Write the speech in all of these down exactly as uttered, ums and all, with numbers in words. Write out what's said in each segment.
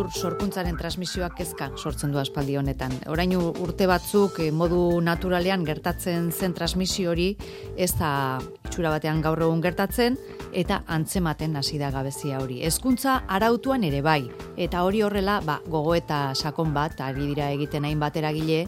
kultur sorkuntzaren transmisioak kezka sortzen du aspaldi honetan. Orain urte batzuk modu naturalean gertatzen zen transmisio hori ez da itxura batean gaur egun gertatzen eta antzematen hasi da gabezia hori. Hezkuntza arautuan ere bai, eta hori horrela ba, gogoeta sakon bat ari dira egiten hainbat eragile.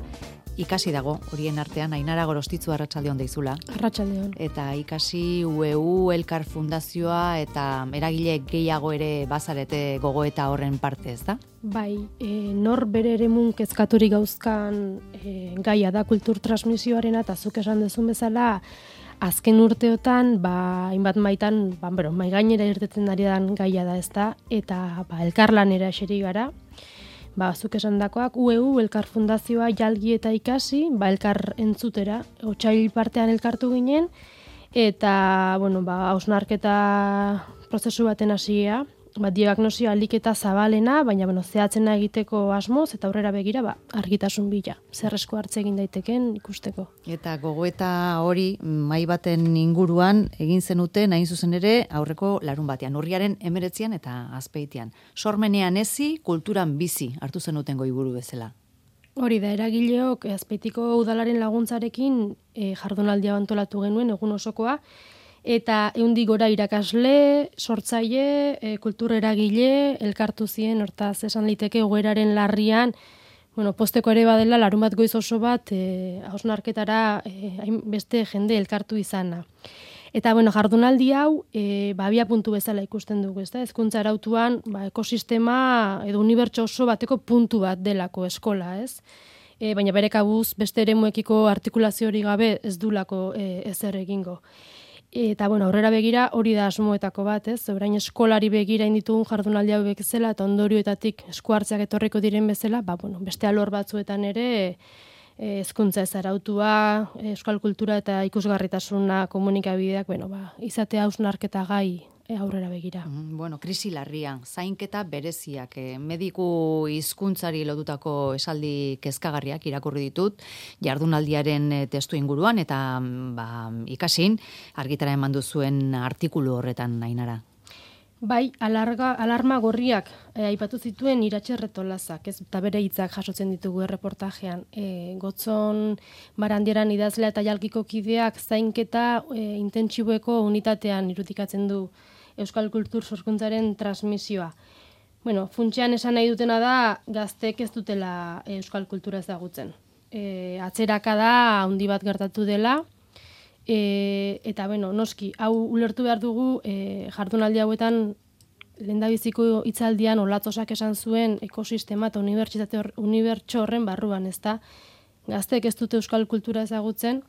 Ikasi dago, horien artean, Ainara Gorostitzu arratsaldeon deizula. Arratsaldeon. Eta ikasi U E U, Elkar Fundazioa eta eragile gehiago ere bazarete gogoeta horren parte, ez da? Bai, e, nor bere eremun kezkaturik gauzkan e, gaia da kultur transmisioarena, eta zuk esan duzun bezala, azken urteotan, ba, hainbat maitan, ba, bero, mai gainera irtetzen ari dan gaia da, ez da, eta ba, elkarlanera eseri gara. Ba, zuk esan dakoak, U E U, Elkar Fundazioa, jalgi eta ikasi, ba, elkar entzutera, otsail partean elkartu ginen, eta, bueno, ba, hausnarketa prozesu baten hasia, ba, diagnosia aliketa zabalena, baina, bueno, zehatzena egiteko asmoz, eta aurrera begira, ba, argitasun bila, zer esku hartze egin daiteken ikusteko. Eta gogoeta hori, mai baten inguruan, egin zenuten, hain zuzen ere, aurreko larun batean, urriaren emeretzian eta azpeitian. Sormenean ezi, kulturan bizi, hartu zenuten goiburu bezala. Hori da, eragileok, azpeitiko udalaren laguntzarekin e, jardunaldia antolatu genuen, egun osokoa, eta ehundik gora irakasle, sortzaile, e, kultur eragile, elkartu ziren, hortaz esan liteke egoeraren larrian, bueno, posteko ere badela, larun bat goiz oso bat, e, hausnarketara e, beste jende elkartu izana. Eta, bueno, jardunaldi hau, e, ba, abia puntu bezala ikusten dugu, ez da? Hezkuntza arautuan, ba, ekosistema edo unibertso oso bateko puntu bat delako eskola, ez? E, baina bere kabuz beste eremuekiko artikulazio hori gabe ez dulako e, ezer egingo. Eta, bueno, aurrera begira hori da asmoetako bat, ez? Orain eskolari begira inditugun jardunaldi hau bezala eta ondorioetatik esku hartzeak etorriko diren bezala, ba, bueno, beste alor batzuetan ere hezkuntza ez arautua, euskal kultura eta ikusgarritasuna komunikabideak, bueno, ba, izatea hausnarketa gai aurrera begira. Mm, bueno, krisi larria, zainketa bereziak, eh, mediku hizkuntzari lotutako esaldi kezkagarriak irakurri ditut, jardunaldiaren eh, testu inguruan, eta ba, ikasin, argitara eman duzuen artikulu horretan, Ainara. Bai, alarga, alarma gorriak e, aipatu zituen Iratxe Retolazak, ez, eta bere hitzak jasotzen ditugu erreportajean. E, Gotzon Barandieran idazlea eta jalkiko kideak zainketa e, intentsiboeko unitatean irudikatzen du euskal kultur sorkuntzaren transmisioa. Bueno, funtsean esan nahi dutena da gaztek ez dutela euskal kultura ezagutzen. E, atzeraka da handi bat gertatu dela, E, eta, bueno, noski, hau ulertu behar dugu e, jardunaldi hauetan lehendabiziko hitzaldian Olatzosak esan zuen ekosistema eta unibertsitate hor, unibertso horren barruan, ezta? Gaztek ez dute euskal kultura ezagutzen,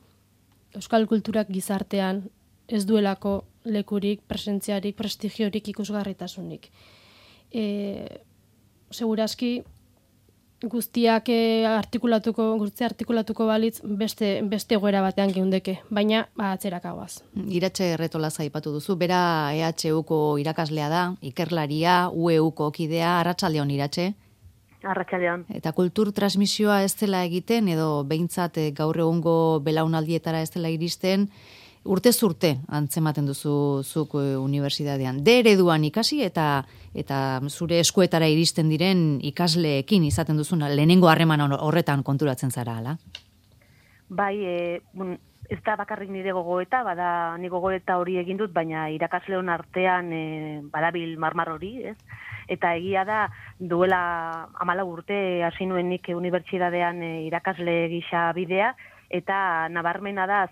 euskal kulturak gizartean ez duelako lekurik, presentziarik, prestigiorik, ikusgarritasunik. E, segurazki, guztiak artikulatuko, guztia artikulatuko balitz beste beste egoera batean geundeke, baina ba, atzerakagoaz. Iratxe Retolaza aipatu duzu, bera E H Uko irakaslea da, ikerlaria, U E Uko kidea, arratsaldeon Iratxe. Arratsaldeon. Eta kultur transmisioa ez dela egiten, edo behintzat gaur egungo belaunaldietara ez dela iristen, urtez urte antzematen duzu zuk unibertsitatean. De ereduan ikasi eta eta zure eskuetara iristen diren ikasleekin izaten duzuna lehenengo harreman horretan konturatzen zara, ala? Bai, e, bon, ez da bakarrik nire gogoeta, bada ni gogoeta hori egin dut, baina irakasleon artean e, badabil marmar hori, ez? Eta egia da, duela hamalau urte hasi nuen nik unibertsitatean e, irakasle gisa bidea, eta nabarmena da,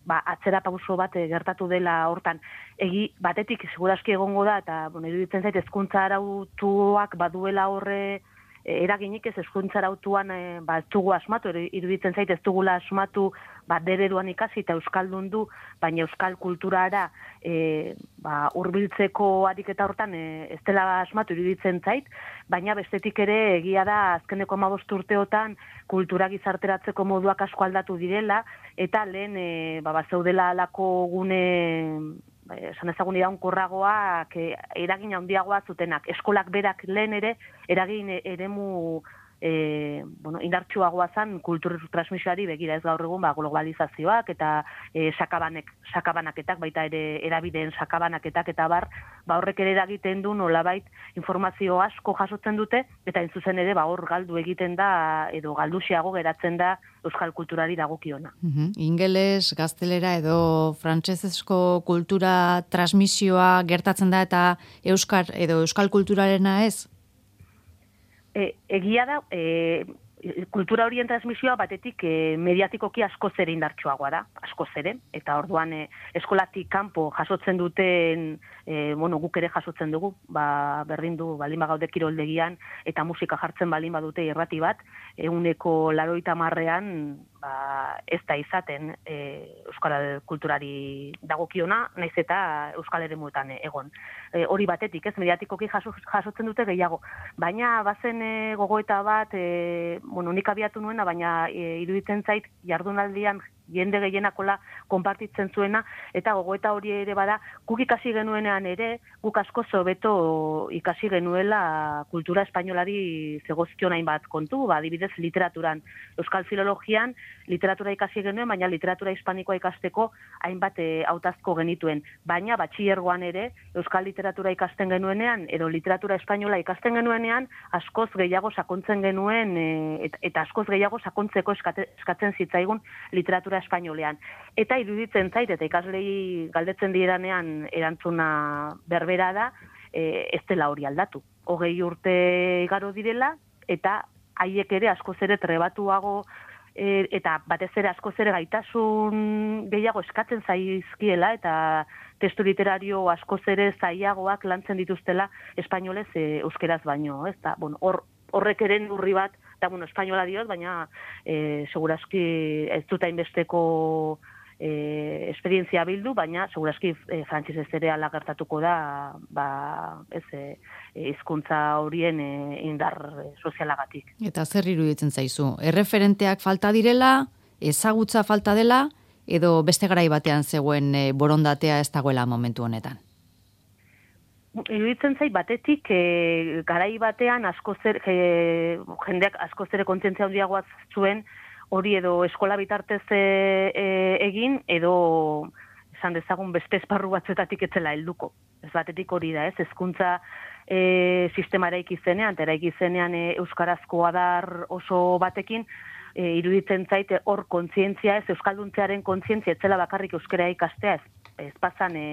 ba, atzera pauso bat gertatu dela hortan. Egi batetik segurazki egongo da, eta bueno, iruditzen zait hezkuntza arautuak baduela horre eraginik ez hezkuntza arautuan e, ba, ez dugu asmatu, iruditzen zait ez dugula asmatu ba, dereduan ikasi eta euskaldun du, baina euskal kulturara e, ba, hurbiltzeko ariketa hortan e, ez dela asmatu iruditzen zait, baina bestetik ere egia da azkeneko hamabost urteotan kultura gizarteratzeko moduak asko aldatu direla, eta lehen e, ba, bazeudela alako gune esan ezagun iraunkorragoak eragin handiagoa zutenak. Eskolak berak lehen ere eragin eremu e, bueno, indartsuagoa zen kultur transmisioari begira, ez gaur egun ba, globalizazioak eta e, sakabanek, sakabanaketak, baita ere erabideen sakabanaketak eta bar, ba horrek ere eragiten du nolabait informazio asko jasotzen dute, eta in zuzen ere ba hor galdu egiten da edo galduxiago geratzen da euskal kulturari dagokiona. Uh-huh. Ingeles, gaztelera edo frantsesezko kultura transmisioa gertatzen da eta euskar edo euskal kulturarena ez? E, egia da, e, kultura horien transmisioa batetik e, mediatikoki askoz ere indartsuagoa da, askoz ere, eta orduan e, eskolatik kanpo jasotzen duten, e, bueno, guk ere jasotzen dugu, ba, berdin du, balin bagaude kiroldegian, eta musika jartzen balin badute irrati bat, eguneko laroita marrean, ba, ez da izaten e, euskal kulturari dagokiona, naiz eta euskal eremuetan egon. E, hori batetik, ez, mediatikoki jaso, jasotzen dute gehiago, baina bazen e, gogoeta bat, e, bueno, nik abiatu nuena, baina e, iruditzen zait jardunaldian jende gehienakola konpartitzen zuena, eta gogoeta hori ere bada, guk ikasi genuenean ere, guk asko hobeto ikasi genuela kultura espainolari zegozkion hainbat kontu, ba, adibidez literaturan, euskal filologian, literatura ikasi genuen, baina literatura hispanikoa ikasteko hainbat e, hautazko genituen. Baina batxillergoan ere, euskal literatura ikasten genuenean, edo literatura espainola ikasten genuenean, askoz gehiago sakontzen genuen, e, et, eta askoz gehiago sakontzeko eskate, eskatzen zitzaigun literatura espainolean. Eta iruditzen zait, eta ikaslei galdetzen diranean erantzuna berbera da, e, ez dela hori aldatu. Hogei urte igaro direla, eta haiek ere askoz ere trebatuago, e, eta batez ere askoz ere gaitasun gehiago eskatzen zaizkiela, eta testu literario askoz ere zailagoak lantzen dituztela espainolez e, euskeraz baino. Ez da, bueno, hor, horrek ere urri bat, eta, bueno, espainola diot, baina e, segurazki ez dut hainbesteko e, esperientzia bildu, baina segurazki e, frantsesez ere ala gertatuko da, ba, ez, e, hizkuntza horien e, indar sozialagatik. Eta zer iruditzen zaizu? Erreferenteak falta direla, ezagutza falta dela, edo beste garai batean zegoen e, borondatea ez dagoela momentu honetan? Iruditzen zait batetik e, garai batean asko zer, e, jendeak asko zere kontzientzia handiagoa zuen hori edo eskola bitartez e, e, egin edo esan dezagun beste esparru batzuetatik etzela helduko. Ez batetik hori da, ez, hezkuntza e, sistema eraiki zenean, eta eraiki zenean e, euskarazko adar oso batekin, e, iruditzen zait hor kontzientzia ez, euskalduntzearen kontzientzia etzela bakarrik euskara ikastea ez. Ez pasan e,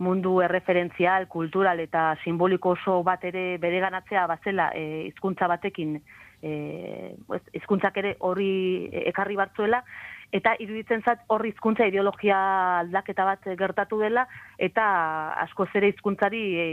mundu erreferentzial, kultural eta simboliko oso bat ere bereganatzea bazela e, hizkuntza batekin, e, hizkuntzak ere hori ekarri batzuela, eta iruditzen zat hor hizkuntza ideologia aldaketa bat gertatu dela, eta askoz ere hizkuntzari e,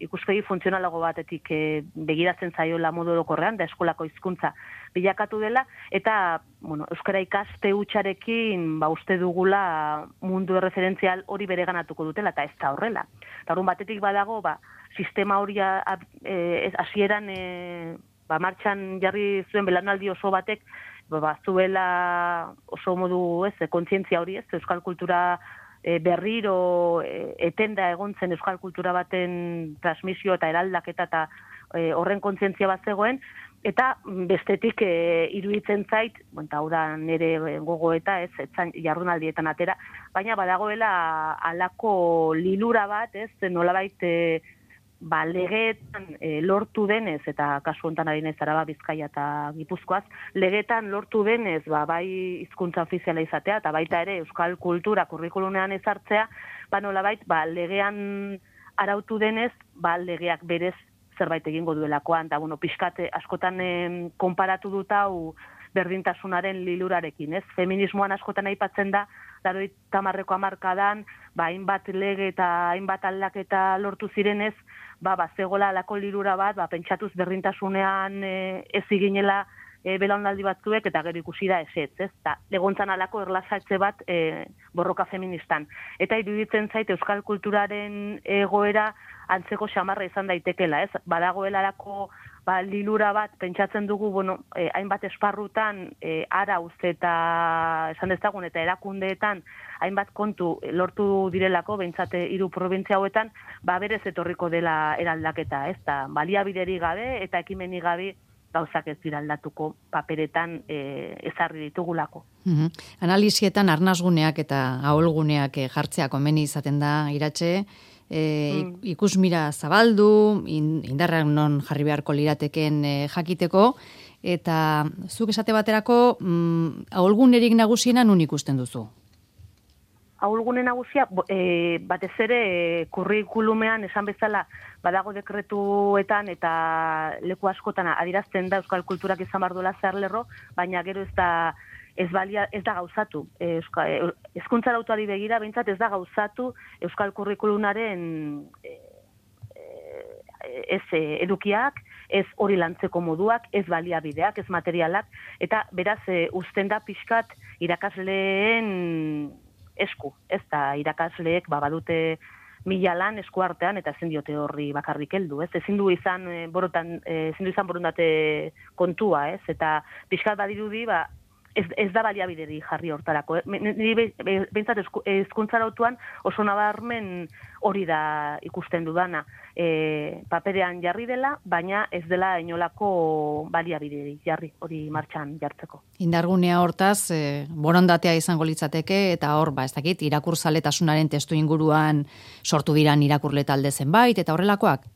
ikuspegi funtzionalago batetik e, begiratzen zaiola modu orokorrean, da eskolako hizkuntza bilakatu dela, eta bueno, euskara ikaste hutsarekin ba, uste dugula mundu erreferentzial hori bereganatuko dutela, eta ez da horrela. Eta horren batetik badago, ba, sistema hori hasieran e, ba, martxan jarri zuen belanaldi oso batek, ba, zuela oso modu ez, kontzientzia hori ez, euskal kultura e, berriro e, etenda egon zen euskal kultura baten transmisio eta eraldaketa eta e, horren kontzientzia bat zegoen, eta bestetik e, iruditzen zait, eta hau da nire gogoeta ez, etzan jardunaldietan atera, baina badagoela halako lilura bat, ez, nolabait e, ba, legeetan e, lortu denez, eta kasu honetan ari naiz Araba, Bizkaia eta Gipuzkoaz, legeetan lortu denez, ba, bai hizkuntza ofiziala izatea, eta baita ere euskal kultura kurrikulumean ezartzea, ba, nolabait, ba, legean arautu denez, ba, legeak berez zerbait egingo duelakoan, eta bueno, pixkate askotan eh, konparatu dut hau berdintasunaren lilurarekin, ez? Feminismoan askotan aipatzen da, laurogeita hamarreko hamarkadan, ba, hainbat lege eta hainbat aldaketa lortu zirenez, ba, ba, zegoela alako lilura bat, ba, pentsatuz berdintasunean eh, ez iginela e, belaunaldi batzuek, eta gero ikusi da esetz, ez? Ta, legontzan alako erlasatze bat e, borroka feministan. Eta iruditzen zait euskal kulturaren egoera antzeko xamarra izan daitekela, ez? Badagoelarako ba, lilura bat, pentsatzen dugu, bueno, eh, hainbat esparrutan, eh, arauz eta esan dezagun, eta erakundeetan, hainbat kontu lortu direlako, behintzate hiru probintzia hauetan, ba, berez etorriko dela eraldaketa, ez da, baliabideri gabe, eta ekimeni gabe, gauzak ez dira aldatuko paperetan e, ezarri ditugulako. Mm-hmm. Analisietan arnasguneak eta aholguneak e, jartzea komeni izaten da, Iratxe, e, mm. ikusmira zabaldu, in, indarrak non jarri beharko lirateken e, jakiteko, eta zuk esate baterako mm, aholgunerik nagusiena nun ikusten duzu? Aholgune nagusia, e, batez ere e, kurrikulumean esan bezala badago dekretuetan eta leku askotan adierazten da euskal kulturak izan behar duela zer lerro, baina gero ez da ez balia ez da gauzatu. Euskal hezkuntza arautuari begira behintzat ez da gauzatu euskal kurrikulumaren e, ez e, edukiak, ez hori lantzeko moduak, ez baliabideak, ez materialak, eta beraz e, uzten da pixkat irakasleen esku, ez da irakasleek ba, badute mila lan esku artean eta ezin diote horri bakarrik heldu, ez? Ezin du izan e, borotan, e, ezin du izan borondate kontua, ez? Eta pixkat badirudi, ba, ez, ez da baliabideri jarri hortarako. Eh? Niri behintzat hezkuntza arautuan oso nabarmen hori da ikusten dudana. E, paperean jarri dela, baina ez dela inolako baliabideri jarri hori martxan jartzeko. Indargunea hortaz, e, borondatea izango litzateke, eta hor, ba, ez dakit, irakurzaletasunaren testu inguruan sortu diran irakurle talde zenbait, eta horrelakoak?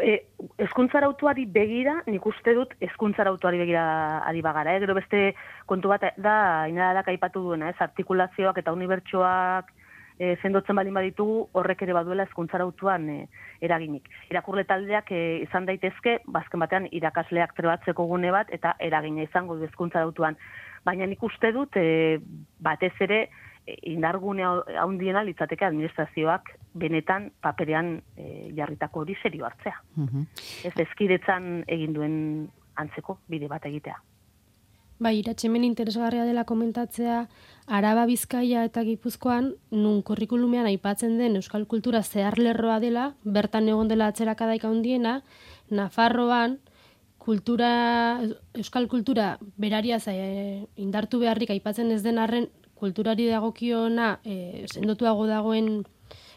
E, hezkuntzarautuari begira, nik uste dut hezkuntzarautuari begira ari bagara, eh? Gero beste kontu bat da, inadadak aipatu duena, ez, artikulazioak eta unibertsoak e, sendotzen balin baditugu, horrek ere baduela hezkuntzarautuan e, eraginik. Irakurle taldeak e, izan daitezke, bazken batean irakasleak trebatzeko gune bat, eta eragina izango du hezkuntzarautuan. Baina nik uste dut, e, batez ere, indargune haundiena litzateke administrazioak benetan paperean e, jarritako hori serio hartzea. Uh-huh. Ez ezkidetzan egin duen antzeko bide bat egitea. Bai, Iratxemen interesgarria dela komentatzea, Araba, Bizkaia eta Gipuzkoan, nun kurrikulumean aipatzen den euskal kultura zeharlerroa dela, bertan egon dela atzerakadaik handiena, Nafarroan, kultura, euskal kultura berariaz e, indartu beharrik aipatzen ez den arren, kulturari dagokiona e, sendotuago dagoen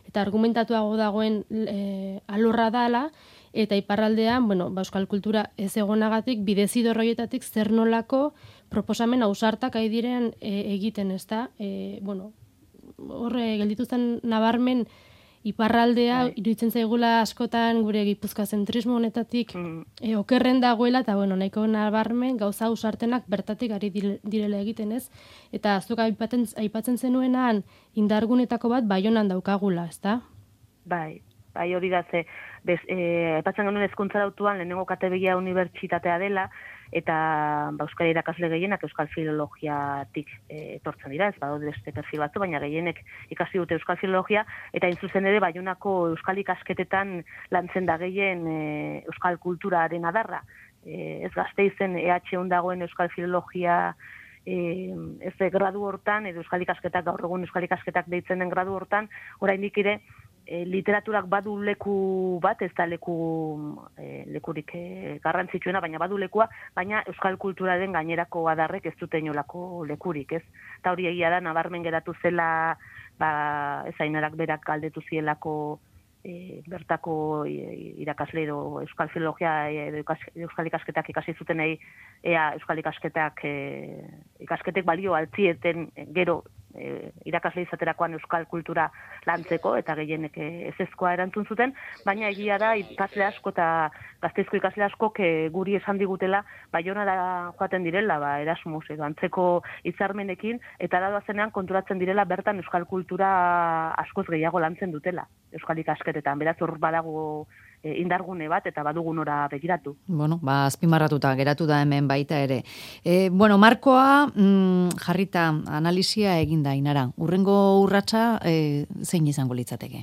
eta argumentatuago dagoen e, alorra dala, eta iparraldean, bueno, ba, euskal kultura ez egonagatik, bidezidor horietatik zer nolako proposamen ausartak ari diren e, egiten, ez da? E, bueno, horre, geldituzten nabarmen iparraldea, bai. Iruditzen zaigula askotan gure Gipuzkoa zentrismo honetatik mm. e, okerren dagoela, eta bueno, nahiko nabarmen gauza ausartenak bertatik ari direla egiten, ez? Eta azuk aipatzen, aipatzen zenuenan indargunetako bat Baionan daukagula, ez da? Bai, bai hori da ze, bez, e, aipatzen genuen hezkuntzarautuan lehenengo kategoria unibertsitatea dela, eta ba, euskal irakasle gehienak euskal filologiatik e, etortzen dira, ez badaude beste perfil batzu, baina gehienek ikasi dute euskal filologia, eta intzuzen ere Baionako euskal ikasketetan lantzen da gehien e, euskal kulturaren adarra. E, ez Gasteizen E H un dagoen euskal filologia e, ez de gradu hortan, edo euskal ikasketak, gaur egun euskal ikasketak deitzen den gradu hortan, oraindik ere E, literaturak badu leku bat, ez da leku e, lekurik e, garrantzitsuena, baina badu lekua, baina euskal kulturaren gainerako adarrek ez dute inolako lekurik, ez? Eta hori egia da, nabarmen geratu zela, ba, ez ainarak berak galdetu zielako e, bertako e, irakasle edo euskal filologia edo euskal ikasketak ikasi zutenei, ea euskal ikasketak e, ikasketek balio altzieten gero E, irakasle izaterakoan euskal kultura lantzeko, eta gehienek ezezkoa erantzun zuten, baina egia da ikasle asko eta Gasteizko ikasle asko guri esan digutela Baionara joaten direla, ba, Erasmus edo antzeko hitzarmenekin, eta da doazenean konturatzen direla bertan euskal kultura askoz gehiago lantzen dutela euskal ikasketetan, beraz hor badago indargune bat, eta badugu nora begiratu. Bueno, ba, azpimarratuta geratu da hemen baita ere. E, bueno, markoa mm, jarrita analisia eginda, Ainara. Urrengo urratsa e, zein izango litzateke?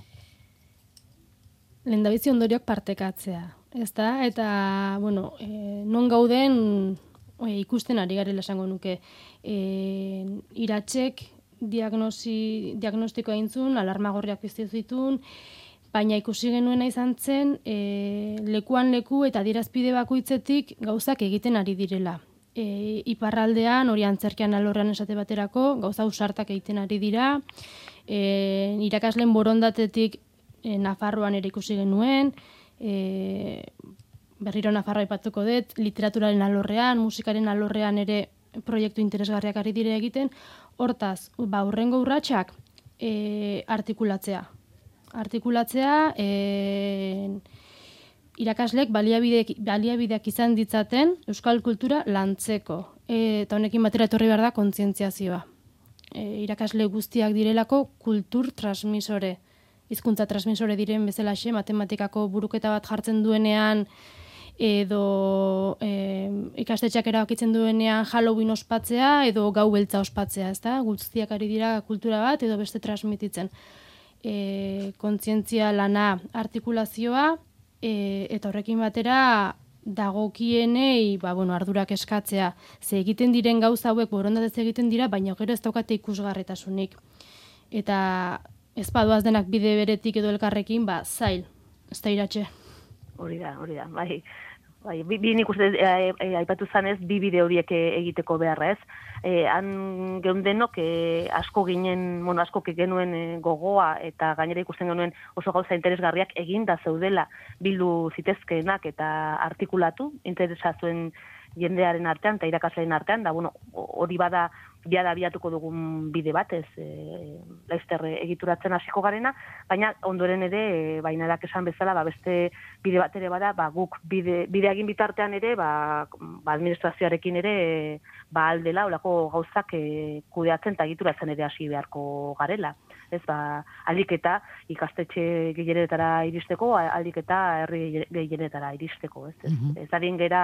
Lehendabizi ondorioak partekatzea, ez da? Eta, bueno, e, non gauden e, ikusten ari garela esango nuke. E, Iratxek diagnosi, diagnostiko eintzun, alarma gorriak piztu zituen, baina ikusi genuena izan zen, e, lekuan leku eta adierazpide bakoitzetik gauzak egiten ari direla. E, iparraldean, hori antzerkian alorrean esate baterako, gauza ausartak egiten ari dira, e, irakasleen borondatetik e, Nafarroan ere ikusi genuen, e, berriro Nafarroa aipatuko dut, literaturaren alorrean, musikaren alorrean ere proiektu interesgarriak ari dire egiten, hortaz, ba, urrengo urratsak e, artikulatzea. Artikulatzea, e, irakaslek baliabideak, baliabideak izan ditzaten euskal kultura lantzeko. E, eta honekin batera etorri behar da kontzientziazioa. E, irakasle guztiak direlako kultur transmisore. Hizkuntza transmisore diren bezalaxe, matematikako buruketa bat jartzen duenean, edo e, ikastetxeak erabakitzen duenean Halloween ospatzea, edo gau beltza ospatzea, ezta? Guztiak ari dira kultura bat, edo beste transmititzen. E, kontzientzia lana artikulazioa, e, eta horrekin batera dagokienei ba, bueno, ardurak eskatzea. Ze egiten diren gauza hauek borondatez egiten dira, baina gero ez daukate ikusgarritasunik. Eta ez badoaz denak bide beretik edo elkarrekin, ba, zail, ez da iratxe. Hori da, hori da, bai. Bai, bi, bi nik uste e, e, aipatu zanez, bi bide horiek egiteko beharra ez. E, han geundenok e, asko ginen, bueno, asko genuen e, gogoa eta gainera ikusten genuen oso gauza interesgarriak eginda zeudela bildu zitezkeenak eta artikulatu, interesa zuen jendearen artean eta irakasleen artean, da, bueno, hori bada biada biatuko dugun bide batez, e, laizter egituratzen hasiko garena, baina ondoren ere, e, bainarak esan bezala, ba, beste bide bat ere bada, ba, guk bide, bide egin bitartean ere, ba, ba administrazioarekin ere, e, ba, aldela, olako gauzak e, kudeatzen eta egituratzen ere hasi beharko garela. Ez, ba, alik eta ikastetxe gehienetara iristeko, alik eta herri gehienetara iristeko, ez, ez, ez adien gera,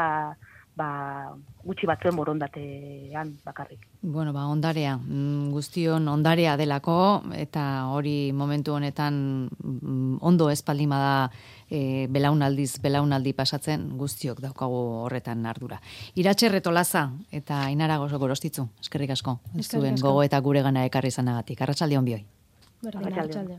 ba, gutxi batzuen borondatean bakarrik. Bueno, ba, ondarea, guztion ondarea delako, eta hori momentu honetan ondo espaldima da e, belaunaldiz, belaunaldi pasatzen, guztiok daukagu horretan ardura. Iratxe Retolaza eta Ainara Gorostitzu, eskerrik asko, ez zuen gogo eta gure gana ekarri zanagatik. Arratsalde on bioi. Arratsalde.